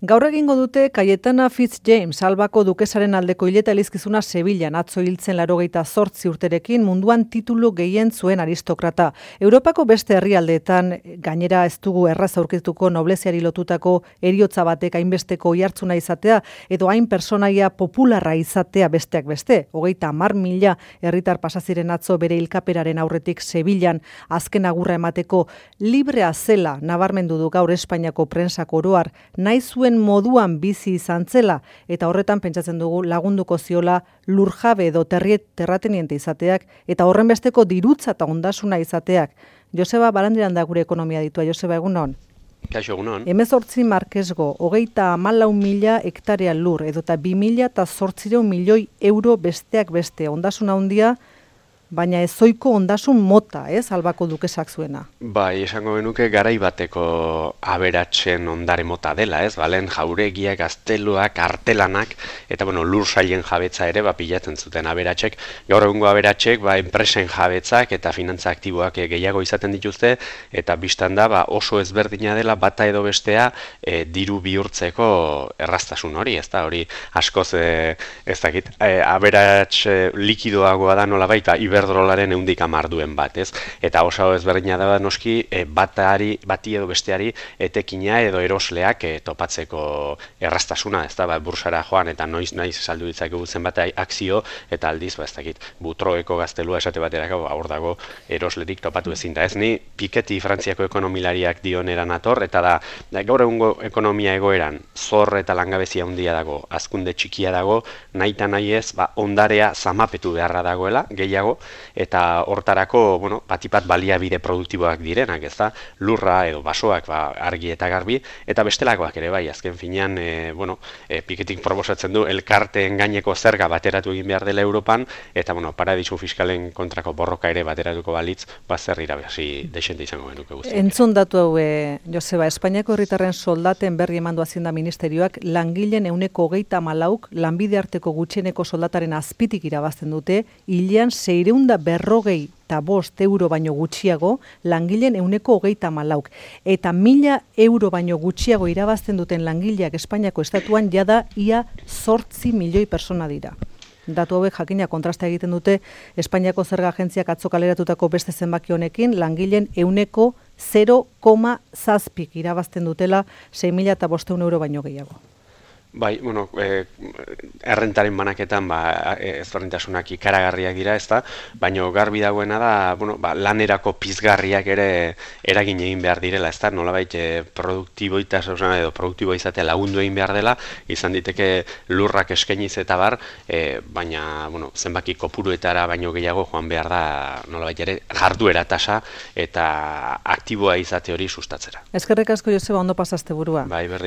Gaur egingo dute Cayetana Fitzjames, Albako dukesaren aldeko hileta elizkizuna Sevillan, atzo hiltzen 88 urterekin, munduan titulu gehien zuen aristokrata. Europako beste herrialdeetan, gainera ez dugu erraz aurkituko nobleziari lotutako heriotza batek hainbesteko oihartzuna izatea, edo hain personaia popularra izatea besteak beste. 30.000 herritar pasaziren atzo bere hilkaperaren aurretik Sevillan azken agurra emateko librea zela nabarmendu du gaur Espainiako prentsak oroar, nahi zuen moduan bizi izan zela, eta horretan pentsatzen dugu lagunduko ziola lurjabe edo terrateniente izateak, eta horren besteko dirutza eta ondasuna izateak. Joseba Barandiran da gure ekonomia ditua. Joseba, egunon? Kaixo, egunon. 18 markesgo, 34.000 hektarea lur, edota 2.800 milioi euro besteak beste. Ondasuna handia, baina ezoiko ondasun mota, Albako dukesak zuena. Bai, esango genuke garai bateko aberatsen ondare mota dela, balen jauregiak, gazteluak, artelanak, eta lur sailen jabetza ere pilatzen zuten aberatsek. Gaur egungo aberatsek enpresen jabetzak eta finantza aktiboak gehiago izaten dituzte, eta bistan da oso ezberdina dela bata edo bestea diru bihurtzeko erraztasun hori, hori askoz ez dakit, aberats likidoagoa da nolabait, iberdrolaren 110 duen bat, Eta oso ezberdina da noski bati edo besteari etekina edo erosleak topatzeko erraztasuna, bursara joan eta noiz saldu ditzakegu zenbat akzio, eta aldiz, butroeko gaztelua esate baterako hor dago eroslerik topatu ezin da. Ni Piketty Frantziako ekonomilariak dioneran ator, eta da gaur egungo ekonomia egoeran zor eta langabezia handia dago, hazkunde txikia dago, nahita nahi ez, ondarea zamapetu beharra dagoela, gehiago, eta hortarako, batipat baliabide produktiboak direnak, lurra edo basoak argi eta garbi, eta bestelakoak ere bai, azken finean, Pikettyk proposatzen du elkarteen gaineko zerga bateratu egin behar dela Europan, eta paradisu fiskalen kontrako borroka ere bateratuko balitz, zer irabazi desente izango genuke guztiak. Entzun datu hau, Joseba, Espainiako herritarren soldaten berri emandu Hazienda Ministerioak langileen 34%, lanbide arteko gutxieneko soldataren azpitik irabazten dute, hilean 645 euro baino gutxiago, langileen 34%. Eta 1.000 euro baino gutxiago irabazten duten langileak Espainiako estatuan jada ia 8 milioi persona dira. Datu hauek jakina kontrasta egiten dute Espainiako zerga agentziak atzo kaleratutako beste zenbaki honekin, langileen 0,7 irabazten dutela 6.500 euro baino gehiago. Bai, errentaren banaketan ezberdintasunak ikaragarriak dira, baina garbi dagoena da, lanerako pizgarriak ere eragin egin behar direla, nolabait produktiboitasuna edo produktibo izatea lagundu egin behar dela, izan diteke lurrak eskainiz eta bar, baina, zenbaki kopuruetara baino gehiago joan behar da, nolabait ere, jarduera tasa eta aktiboa izate hori sustatzera. Eskerrik asko, Joseba, ondo pasazte burua. Bai, berri.